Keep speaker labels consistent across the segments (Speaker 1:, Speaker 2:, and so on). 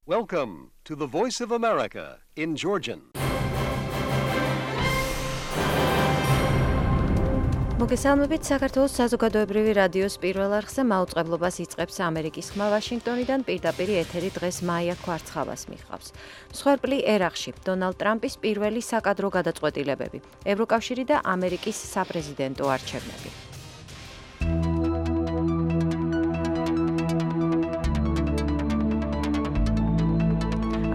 Speaker 1: Welcome to the Voice of America in Georgian.
Speaker 2: მოგესალმებით საქართველოს საზოგადოებრივი რადიოს პირველ არხზე მაუწყებლობას იწყებს ამერიკის ხმა ვაშინგტონიდან პირდაპირ ეთერი დღეს მაია კვარცხალას მიხავს. მსხვერპლი ერაყში დონალდ ტრამპის პირველი საკადრო გადაწყვეტილებები, ევროკავშირი და ამერიკის საპრეზიდენტო არჩევნები.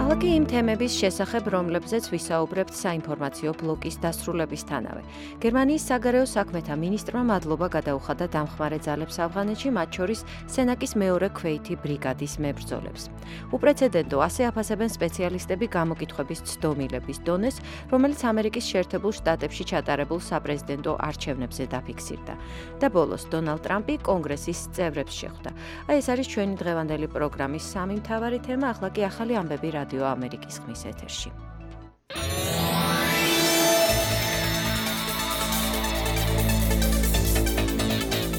Speaker 2: ახლა იმ თემების შესახებ, რომლებზეც ვისაუბრებთ საინფორმაციო ბლოკის დასრულებისთანავე. გერმანიის საგარეო საქმეთა მინისტრმა მადლობა გადაუხადა დამხმარე ძალებს ავღანეთში, მათ შორის სენაკის მეორე ქვეითი ბრიგადის მებრძოლებს. უპრეცედენტო ასე აფასებენ სპეციალისტები გამოკითხვების ცდომილების დონეს, რომელიც ამერიკის შეერთებულ შტატებში ჩატარებულ საპრეზიდენტო არჩევნებზე დაფიქსირდა. და ბოლოს დონალდ ტრამპი კონგრესის წევრებს შეხვდა. ეს არის ჩვენი დღევანდელი პროგრამის სამი მთავარი თემა, ახლა კი ახალი ამბები რადიო ამერიკის ხმის ეთერში.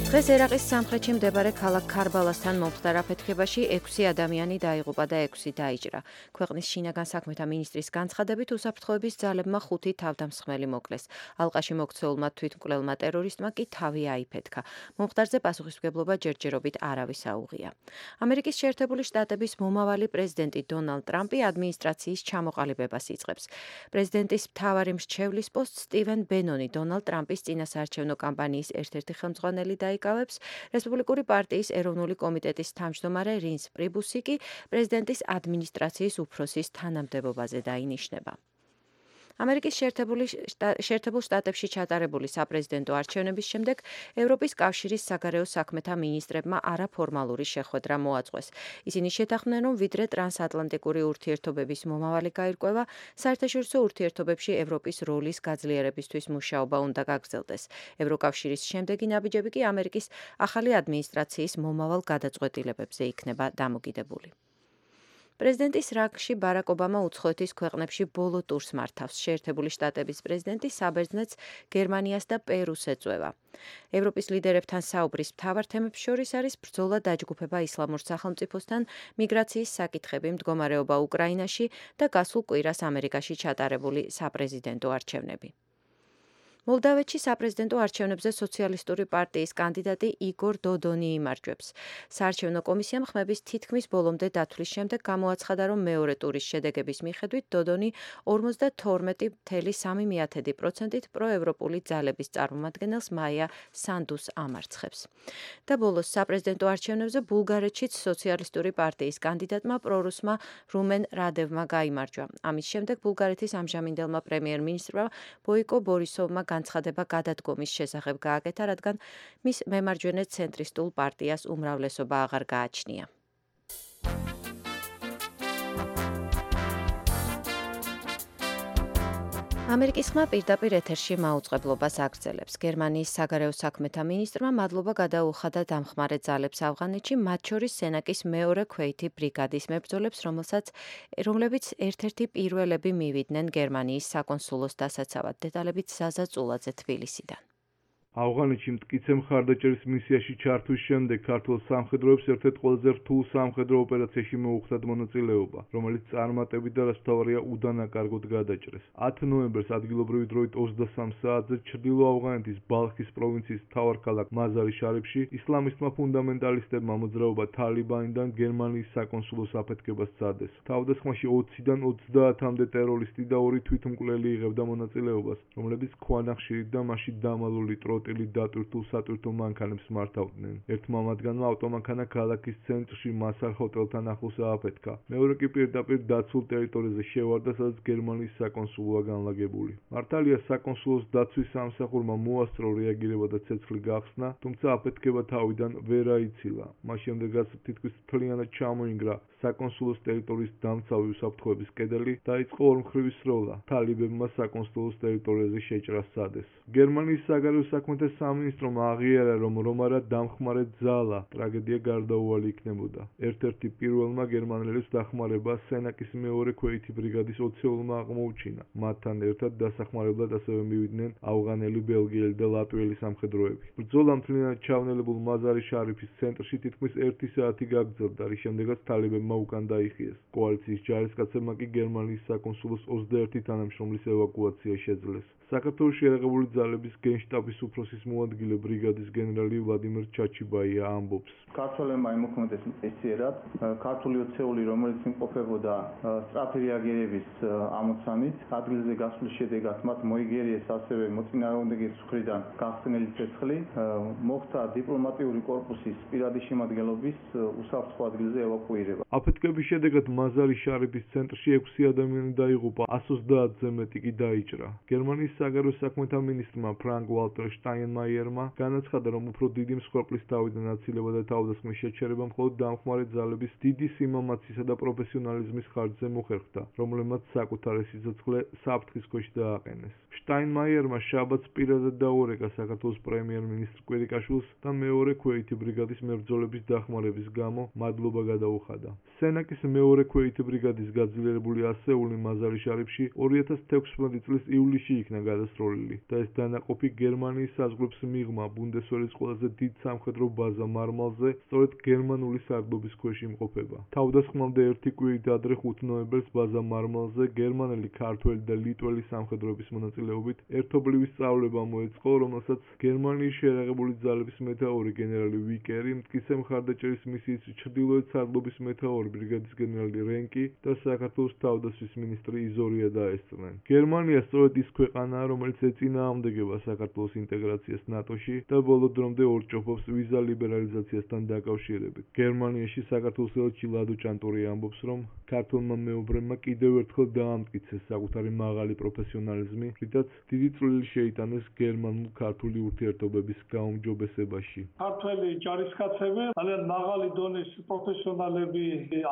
Speaker 2: დღეს ერაყის სამხრეთში მდებარე ქალაქ ქარბალასთან მომხდარ აფეთქებაში 6 ადამიანი დაიღუპა და 6 დაიჭრა. ქვეყნის შინაგან საქმეთა მინისტრის განცხადებით, უსაფრთხოების ძალებმა 5 თავდამსხმელი მოკლეს. ალყაში მოქცეულმა თვითმკვლელმა ტერორისტმა კი თავი აიფეთქა. მომხდარზე პასუხისმგებლობა ჯერჯერობით არავის აუღია. ამერიკის შეერთებული შტატების მომავალი პრეზიდენტი დონალდ ტრამპი ადმინისტრაციის ჩამოყალიბებას იწყებს. პრეზიდენტის მთავარი მრჩევლის პოსტს სტივენ ბენონი დონალდ ტრამპის წინასაარჩევნო კამპანიის ერთ-ერთი ხელმძღვანელი იკავებს. რესპუბლიკური პარტიის ეროვნული კომიტეტის თავმჯდომარე რინს პრიბუსი კი პრეზიდენტის ადმინისტრაციის უფროსის თანამდებობაზე დაინიშნება. ამერიკის შეერთებულ შტატებში ჩატარებული საპრეზიდენტო არჩევნების შემდეგ ევროპის კავშირის საგარეო საქმეთა მინისტრებმა არაფორმალური შეხვედრა მოაწყვეს. ისინი შეთანხმდნენ, რომ ვიდრე ტრანსატლანტიკური ურთიერთობების მომავალი გაირკვევა, საერთაშორისო ურთიერთობებში ევროპის როლის გაძლიერებისთვის მუშაობა უნდა გაგრძელდეს. ევროკავშირის შემდეგი ნაბიჯები კი ამერიკის ახალი ადმინისტრაციის მომავალ გადაწყვეტილებებზე იქნება დამოკიდებული. პრეზიდენტის რანგში ბარაკ ობამა უცხოეთის ქვეყნებში ბოლო ტურს მართავს. შეერთებული შტატების პრეზიდენტი საბერძნეთს, გერმანიას და პერუს ეწვევა. ევროპის ლიდერებთან საუბრის მთავარ თემებს შორის არის ბრძოლა დაჯგუფება ისლამურ სახელმწიფოსთან, მიგრაციის საკითხები, მდგომარეობა უკრაინაში და გასულ კვირას ამერიკაში ჩატარებული საპრეზიდენტო არჩევნები. მოლდავეთში საპრეზიდენტო არჩევნებზე სოციალისტური პარტიის კანდიდატი იგორ დოდონი იმარჯვებს. საარჩევნო კომისიამ ხმების თითქმის ბოლომდე დათვლის შემდეგ გამოაცხადა, რომ მეორე ტურის შედეგების მიხედვით დოდონი 52,3%-ით პროევროპული ძალების წარმომადგენელს მაია სანდუს ამარცხებს. და ბოლოს საპრეზიდენტო არჩევნებზე ბულგარეთშიც სოციალისტური პარტიის კანდიდატმა პრორუსმა რუმენ რადევმა გაიმარჯვა. ამის შემდეგ ბულგარეთის ამჟამინდელმა პრემიერ-მინისტრმა ბოიკო ბორისოვმა განცხადება გადადგომის შესახებ გააკეთა, რადგან მის მემარჯვენე ცენტრისტულ პარტიას უმრავლესობა აღარ გააჩნია. ამერიკის ხმა პირდაპირ ეთერში მაუწყებლობას აგრძელებს. გერმანიის საგარეო საქმეთა მინისტრმა მადლობა გადაუხადა დამხმარე ძალებს ავღანეთში, მათ შორის სენაკის მეორე ქვეითი ბრიგადის მებრძოლებს, რომლებიც ერთ-ერთი პირველები მივიდნენ გერმანიის საკონსულოს დასაცავად. დეტალებით ზაზა წულაძე თბილისიდან.
Speaker 3: ავღანეთში მტკიცე მხარდაჭერის მისიაში ჩართვის შემდეგ ქართულ სამხედროებს ერთ-ერთ ყველაზე რთულ სამხედრო ოპერაციაში მოუხდათ მონაწილეობა, რომელიც წარმატებით და რაც მთავარია უდანაკარგოდ გადაჭრეს. 10 ნოემბერს ადგილობრივი დროით 23 საათზე ჩრდილო ავღანეთის ბალხის პროვინციის მთავარ ქალაქ მაზარი შარიფში ისლამისტმა ფუნდამენტალისტებმა მოძრაობა თალიბანიდან გერმანიის საკონსულოს აფეთქებას სცადეს. თავდასხმაში 20-დან 30-მდე ტერორისტი და 2 თვითმკვლელი იღებდა მონაწილეობას, რომლებიც ქვანახშირით და მასში დამალული დატვირთულ სატვირთო მანქანებს მართავდნენ. ერთმა მათგანმა ავტომანქანა ქალაქის ცენტრში მასარ ჰოტელთან ახლოს ააფეთქა. მეორე კი პირდაპირ დაცულ ტერიტორიაზე შევარდა, სადაც გერმანიის საკონსულოა განლაგებული. მართალია საკონსულოს დაცვის სამსახურმა მოასწრო რეაგირება და ცეცხლი გახსნა, თუმცა აფეთქება თავიდან ვერ აიცილა. მას შემდეგაც თითქმის მთლიანად ჩამოინგრა საკონსულოს ტერიტორიის დამცავი უსაფრთხოების კედელი, დაიწყო ორმხრივი სროლა. თალიბებმა საკონსულოს ტერიტორიაზე შეჭრა სცადეს. გერმანიის საგარეო საქმეთა საქმეთა სამინისტრომ აღიარა, რომ რომარა დამხმარე ძალა ტრაგედია გარდაუვალი იქნებოდა. ერთ-ერთი პირველმა გერმანელებს დახმარება სენაკის მეორე ქვეითი ბრიგადის 20-ულმა აღმოუჩინა. მათთან ერთად დასახმარებლად ასევე მივიდნენ ავღანელი, ბელგიელი და ლატვიელი სამხედროები. ბრძოლა მთლიანად ჩავნელებულ მაზარი შარიფის ცენტრში თითქმის 1 საათი გაგრძელდა, რის შემდეგაც თალებებმა უკან დაიხიეს. კოალიციის ჯარისკაცებმა კი გერმანიის საკონსულოს 21 თანამშრომლის ევაკუაცია შეძლეს. საქართველოში შეერაღებული ძალების გენშტაბის უფროსის მოადგილე ბრიგადის გენერალი ვლადიმერ ჩაჩიბაია ამბობს.
Speaker 4: ქართველებმა იმოქმედეს მწესიერად, ქართული ოცეული, რომელიც იმყოფებოდა სწრაფი რეაგირების ამოცანით, ადგილზე გასვლის შედეგად მათ მოიგერიეს ასევე მოწინააღმდეგის მხრიდან გახსნილი ცეცხლი, მოხდა დიპლომატიური კორპუსის პირადი შემადგენლობის უსაფრთხო ადგილზე ევაკუირება.
Speaker 3: აფეთქების შედეგად მაზარი შარიფის ცენტრში 6 ადამიანი დაიღუპა, 130-ზე მეტი კი დაიჭრა. გერმანიის საგარეო საქმეთა მინისტრმა ფრანკ ვალტერ შტაინმაიერმა განაცხადა, რომ უფრო დიდი მსხვერპლის თავიდან აცილება და თავდასხმის შეჩერება მხოლოდ დამხმარე ძალების დიდი სიმამაცისა და პროფესიონალიზმის ხარჯზე მოხერხდა, რომლებმაც საკუთარი სიცოცხლე საფრთხის ქვეშ დააყენეს. შტაინმაიერმა შაბათს პირადად დაურეკა საქართველოს პრემიერ-მინისტრ კვირიკაშვილს და მეორე ქვეითი ბრიგადის მებრძოლების დახმარების გამო მადლობა გადაუხადა. სენაკის მეორე ქვეითი ბრიგადის გაძლიერებული ასეული მაზარი შარიფში 2016 წლის ივლისში იქნა გადასროლილი და ეს დანაყოფი გერმანიის საზღვრებს მიღმა ბუნდესვერის ყველაზე დიდ სამხედრო ბაზა მარმალზე სწორედ გერმანული სარდლობის ქვეშ იმყოფება. თავდასხმამდე 1 კვირით ადრე 5 ნოემბერს ბაზა მარმალზე გერმანელი, ქართველი და ლიტველი სამხედროების მონაწილეობით ერთობლივი სწავლება მოეწყო, რომელსაც გერმანიის შეერაღებული ძალების მეთაური გენერალი ვიკერი, მტკიცე მხარდაჭერის მისიის ჩრდილოეთ სარდლობის მეთაური ბრიგადის გენერალი რენკი და საქართველოს თავდაცვის მინისტრი იზორია დაესწრნენ. გერმანია სწორედ ის ქვეყანაა, რომელიც ეწინააღმდეგება საქართველოს ინტეგრაციას ნატოში და ბოლო დრომდე ორჭოფობს ვიზა ლიბერალიზაციასთან დაკავშირებით. გერმანიაში საქართველოს ელჩი ლადო ჭანტური ამბობს, რომ ქართველმა მეუბრემმა კიდევ ერთხელ დაამტკიცეს საკუთარი მაღალი პროფესიონალიზმი, რითაც დიდი წვლილი შეიტანეს გერმანულ-ქართული ურთიერთობების გაუმჯობესებაში.
Speaker 5: ქართველი ჯარისკაცები ძალიან მაღალი დონის პროფესიონალები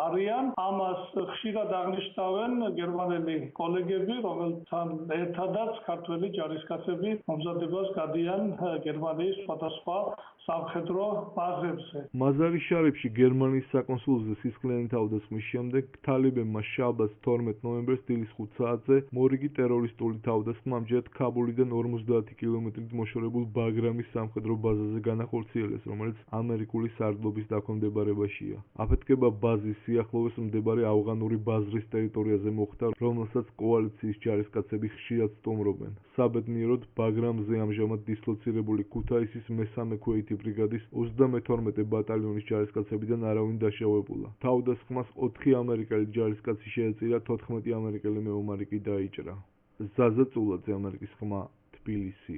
Speaker 5: არიან. ამას ხშირად აღნიშნავენ გერმანელი კოლეგები, რომელთან ერთადაც ქართველი ჯარისკაცები მომზადებას გადიან გერმანიის სხვადასხვა სამხედრო ბაზებზე.
Speaker 3: მაზარი შარიფში გერმანიის საკონსულოზე სისხლიანი თავდასხმის შემდეგ თალებებმა შაბათს 12 ნოემბერს დილის 5 საათზე მორიგი ტერორისტული თავდასხმა ამჯერად ქაბულიდან 50 კილომეტრით მოშორებულ ბაგრამის სამხედრო ბაზაზე განახორციელეს, რომელიც ამერიკული სარდლობის დაქვემდებარებაშია. აფეთქება ბაზის სიახლოვეს მდებარე ავღანური ბაზრის ტერიტორიაზე მოხდა, რომელსაც კოალიციის ჯარისკაცები ხშირად სტუმრობენ. საბედნიეროდ ბაგრამზე ამჟამად დისლოცირებული ქუთაისის მესამე ქვეითი ბრიგადის 32 ბატალიონის ჯარისკაცებიდან არავინ დაშავებულა. თავდასხმას 4 ამერიკელი ჯარისკაცი შეეწირა, 14 ამერიკელი მეომარი კი დაიჭრა. ზაზა წულაძე, ამერიკის ხმა, თბილისი.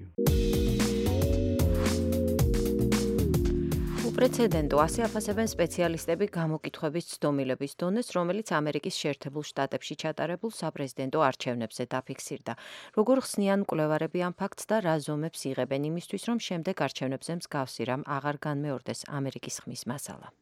Speaker 2: უპრეცედენტო ასე აფასებენ სპეციალისტები გამოკითხვების ცდომილების დონეს, რომელიც ამერიკის შეერთებულ შტატებში ჩატარებულ საპრეზიდენტო არჩევნებზე დაფიქსირდა. როგორ ხსნიან მკვლევარები ამ ფაქტს და რა ზომებს იღებენ იმისთვის, რომ შემდეგ არჩევნებზე მსგავსი რამ აღარ განმეორდეს ამერიკის ხმის მასალა.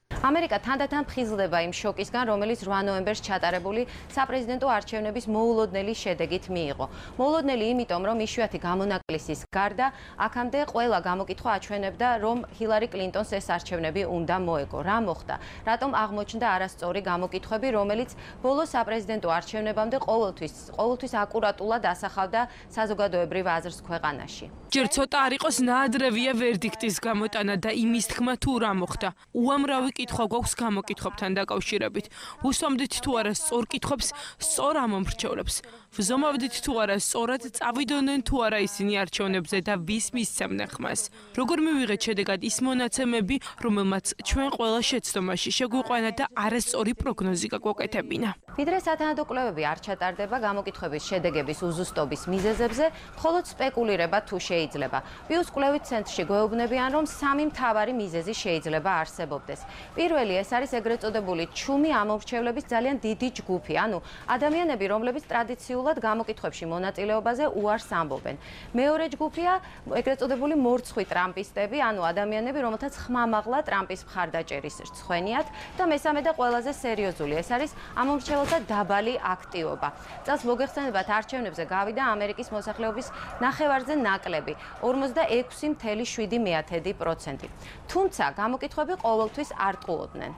Speaker 2: ამერიკა თანდათან ფხიზლდება იმ შოკისგან, რომელიც 8 ნოემბერს ჩატარებული საპრეზიდენტო არჩევნების მოულოდნელი შედეგით მიიღო. მოულოდნელი იმიტომ, რომ იშვიათი გამონაკლისის გარდა, აქამდე ყველა გამოკითხვა აჩვენებდა, რომ ჰილარი კლინტონს ეს არჩევნები უნდა მოეგო. რა მოხდა? რატომ აღმოჩნდა არასწორი გამოკითხვები, რომელიც ბოლო საპრეზიდენტო არჩევნებამდე ყოველთვის აკურატულად ასახავდა საზოგადოებრივ აზრს ქვეყანაში?
Speaker 6: ჯერ ცოტა არ იყოს ნაადრევია ვერდიქტის გამოტანა და იმის თქმა თუ რა მოხდა. უამრავი კითხვა გვაქვს გამოკითხვებთან დაკავშირებით. უსვამდით თუ არა სწორ კითხვებს, სწორ ამომრჩევლებს. ვზომავდით თუ არა სწორად წავიდოდნენ თუ არა ისინი არჩევნებზე და ვის მისცემდნენ ხმას. როგორ მივიღეთ შედეგად ის მონაცემები, რომელმაც ჩვენ ყველა შეცდომაში შეგვიყვანა და არასწორი პროგნოზი გაგვაკეთებინა.
Speaker 2: ვიდრე სათანადო კვლევები არ ჩატარდება გამოკითხვების შედეგების უზუსტობის მიზეზებზე, მხოლოდ სპეკულირება თუ შეიძლება. პიუს კვლევით ცენტრში გვეუბნებიან, რომ 3 მთავარი მიზეზი შეიძლება არსებობდეს. პირველი ეს არის ეგრეთ წოდებული ჩუმი ამომრჩევლების ძალიან დიდი ჯგუფი, ანუ ადამიანები, რომლებიც ტრადიციულად გამოკითხვებში მონაწილეობაზე უარს ამბობენ. მეორე ჯგუფია ეგრეთ წოდებული მორცხვი ტრამპისტები, ანუ ადამიანები, რომელთაც ხმამაღლა ტრამპის მხარდაჭერის რცხვენიათ და მესამე და ყველაზე სერიოზული, ეს არის ამომრჩეველთა დაბალი აქტივობა. წელს მოგეხსენებათ, არჩევნებზე გავიდა ამერიკის მოსახლეობის ნახევარზე ნაკლები, 46.7%. თუმცა გამოკითხვები ყოველთვის არ ტყუოდნენ.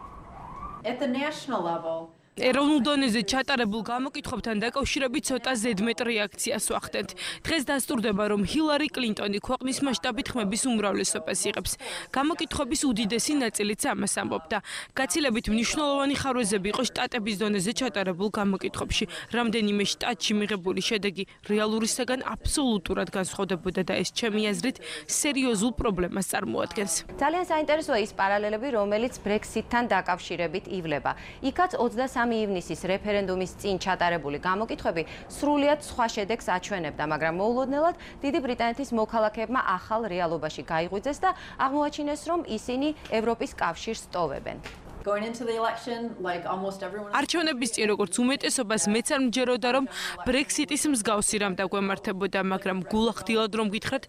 Speaker 7: At the national level,
Speaker 6: ეროვნულ დონეზე ჩატარებულ გამოკითხვებთან დაკავშირებით ცოტა ზედმეტ რეაქციას ვახდენთ. დღეს დასტურდება, რომ ჰილარი კლინტონი ქვეყნის მასშტაბით ხმების უმრავლესობას იღებს. გამოკითხვების უდიდესი ნაწილიც ამას ამბობდა. გაცილებით მნიშვნელოვანი ხარვეზები იყო შტატების დონეზე ჩატარებულ გამოკითხვებში. რამდენიმე შტატში მიღებული შედეგი რეალურისაგან აბსოლუტურად განსხვავდებოდა და ეს ჩემი აზრით სერიოზულ პრობლემას წარმოადგენს.
Speaker 2: ძალიან საინტერესოა ის პარალელები, რომელიც Brexit-თან დაკავშირებით ივლება. იქაც 23 ივნისის რეფერენდუმის წინ ჩატარებული გამოკითხვები სრულიად სხვა შედეგს აჩვენებდა, მაგრამ მოულოდნელად დიდი ბრიტანეთის მოქალაქეებმა ახალ რეალობაში გაიღვიძეს და აღმოაჩინეს, რომ ისინი ევროპის კავშირს ტოვებენ.
Speaker 7: going into the election, like almost everyone.
Speaker 6: არჩევნების წინ როგორც უმეტესობას მეც არ მჯეროდა, რომ Brexit-ის მსგავსი რამ დაგვემართებოდა, მაგრამ გულახდილად რომ გითხრათ,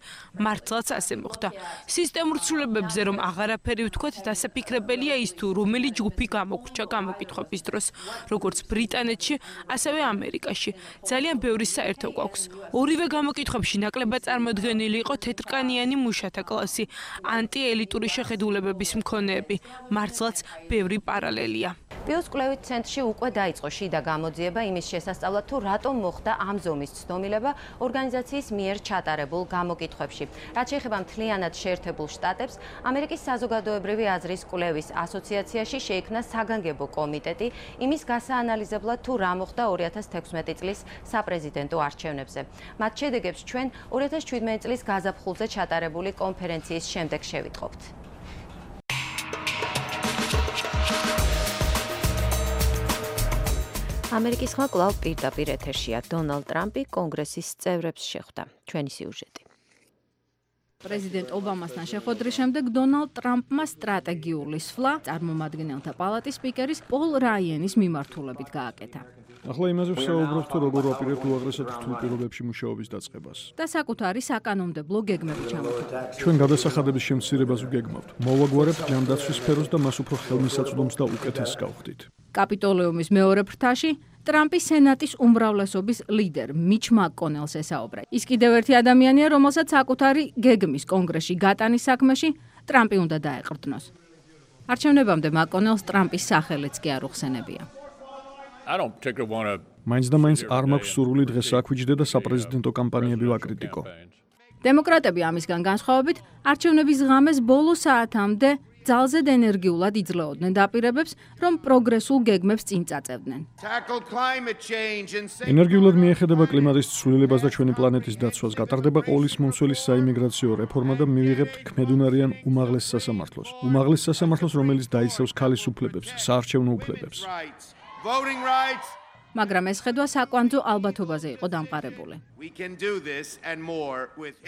Speaker 6: მართლაც ასე მოხდა. სისტემურ ცვლილებებზე რომ აღარაფერი ვთქვათ, დასაფიქრებელია ის თუ რომელი ჯგუფი გამოგვრჩა გამოკითხვების დროს, როგორც ბრიტანეთში, ასევე ამერიკაში. ძალიან ბევრი საერთო გვაქვს. ორივე გამოკითხვებში ნაკლებად წარმოდგენილი იყო თეთრკანიანი მუშათა კლასი, ანტიელიტური შეხედულებების მქონეები. მართლაც ბევრი პარალელია.
Speaker 2: პიუს კვლევით ცენტრში უკვე დაიწყო შიდა გამოძიება იმის შესასწავლად, თუ რატომ მოხდა ამ ზომის ცდომილება ორგანიზაციის მიერ ჩატარებულ გამოკითხვებში. რაც შეეხება მთლიანად შეერთებულ შტატებს, ამერიკის საზოგადოებრივი აზრის კვლევის ასოციაციაში შეიქმნა საგანგებო კომიტეტი იმის გასაანალიზებლად, თუ რა მოხდა 2016 წლის საპრეზიდენტო არჩევნებზე. მათ შედეგებს ჩვენ 2017 წლის გაზაფხულზე ჩატარებული კონფერენციის შემდეგ შევიტყობთ. ამერიკის ხმა კვლავ პირდაპირ ეთერშია. დონალდ ტრამპი კონგრესის წევრებს შეხვდა. ჩვენი სიუჟეტი.
Speaker 8: პრეზიდენტ ობამასთან შეხვედრის შემდეგ დონალდ ტრამპმა სტრატეგიული სვლა წარმომადგენელთა პალატის სპიკერის პოლ რაიენის მიმართულებით გააკეთა.
Speaker 9: ახლა იმაზე ვსაუბრობთ, თუ როგორ ვაპირებთ უაღრესად რთულ პირობებში მუშაობის დაწყებას.
Speaker 8: და საკუთარი საკანონმდებლო გეგმები ჩამოთვალა.
Speaker 9: ჩვენ გადასახადების შემცირებას ვგეგმავთ. მოვაგვარებთ ჯანდაცვის სფეროს და მას უფრო ხელმისაწვდომს და უკეთესს გავხდით.
Speaker 8: კაპიტოლიუმის მეორე ფრთაში ტრამპი სენატის უმრავლესობის ლიდერ მიჩ მაკკონელს ესაუბრა. ის კიდევ ერთი ადამიანია, რომელსაც საკუთარი გეგმის კონგრესში გატანის საქმეში ტრამპი უნდა დაეყრდნოს. არჩევნებამდე მაკკონელს ტრამპის სახელიც კი არ უხსენებია.
Speaker 9: მაინც და მაინც არ მაქვს სურვილი დღეს აქვიჯდე და საპრეზიდენტო კამპანიები ვაკრიტიკო.
Speaker 8: დემოკრატები ამისგან განსხვავებით, არჩევნების ღამეს ბოლო საათამდე ძალზედ ენერგიულად იძლეოდნენ დაპირებებს, რომ პროგრესულ გეგმებს წინ წაწევდნენ.
Speaker 9: ენერგიულად მიეხედება კლიმატის ცვლილებას და ჩვენი პლანეტის დაცვას, გატარდება ყოვლის მომცველის საიმიგრაციო რეფორმა და მივიღებთ ქმედუნარიან უმაღლეს სასამართლოს. უმაღლეს სასამართლოს, რომელიც დაიცავს ქალის უფლებებს, საარჩევნო უფლებებს.
Speaker 8: მაგრამ ეს ხედვა საკვანძო ალბათობაზე იყო დამყარებული.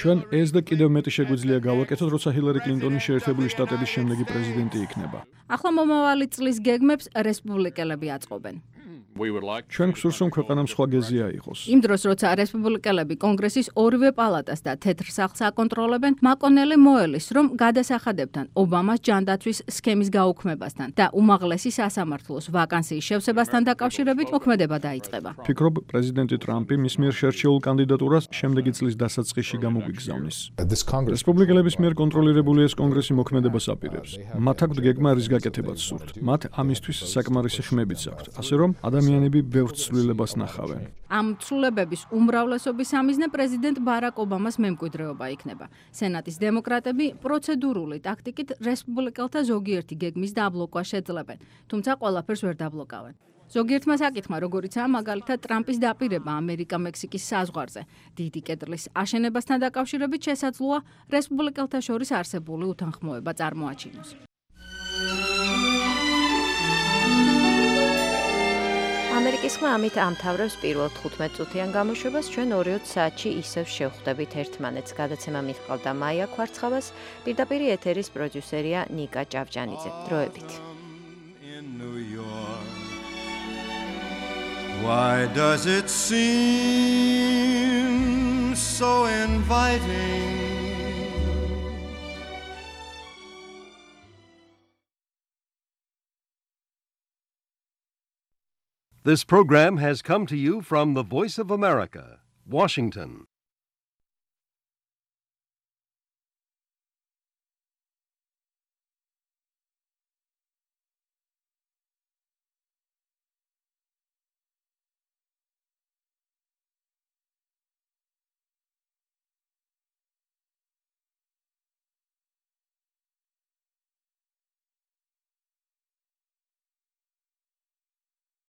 Speaker 9: ჩვენ ეს და კიდევ მეტი შეგვიძლია გავაკეთოთ, როცა ჰილარი კლინტონი შეერთებული შტატების შემდეგი პრეზიდენტი იქნება.
Speaker 8: ახლა მომავალი წლის გეგმებს რესპუბლიკელები აწყობენ.
Speaker 9: ჩვენ გვსურს, რომ ქვეყანამ სხვა გეზი აიღოს.
Speaker 8: იმ დროს, როცა რესპუბლიკელები კონგრესის ორივე პალატას და თეთრ სახლს აკონტროლებენ, მაკონელი მოელის, რომ გადასახადებთან ობამას ჯანდაცვის სქემის გაუქმებასთან და უმაღლესი სასამართლოს ვაკანსიის შევსებასთან დაკავშირებით მოქმედება დაიწყება.
Speaker 9: ფიქრობ, პრეზიდენტი ტრამპი მის მიერ შერჩეულ კანდიდატურას შემდეგი წლის დასაწყისში გამოგვიგზავნის. რესპუბლიკელების მიერ კონტროლირებული ეს კონგრესი მოქმედებას აპირებს. მათ აქვთ გეგმა, რის გაკეთებაც სურთ. მათ ამისთვის საკმარისი ხმებიც აქვთ, ასე რომ ადამიანები ბევრ ცვლილებას ნახავენ.
Speaker 8: ამ ცვლილებების უმრავლესობის ამიზნე პრეზიდენტ ბარაკ ობამას მემკვიდრეობა იქნება. სენატის დემოკრატები პროცედურული ტაქტიკით რესპუბლიკელთა ზოგიერთი გეგმის დაბლოკვას შეძლებენ, თუმცა ყველაფერს ვერ დაბლოკავენ. ზოგიერთმა საკითხმა, როგორიცაა მაგალითად ტრამპის დაპირება ამერიკა-მექსიკის საზღვარზე, დიდი კედლის აშენებასთან დაკავშირებით შესაძლოა რესპუბლიკელთა შორის არსებული უთანხმოება წარმოაჩინოს.
Speaker 2: ამერიკის ხმა ამით ამთავრებს პირველ 15 წუთიან გამოშვებას. ჩვენ 2-20 საათში ისევ შევხვდებით ერთმანეთს. გადაცემა მიჰყავდა მაია ქვარცხავას, პირდაპირ ეთერის პროდიუსერია ნიკა ჭავჭანიძე. დროებით.
Speaker 10: New York. Why does it seem so inviting?
Speaker 1: This program has come to you from the Voice of America, Washington.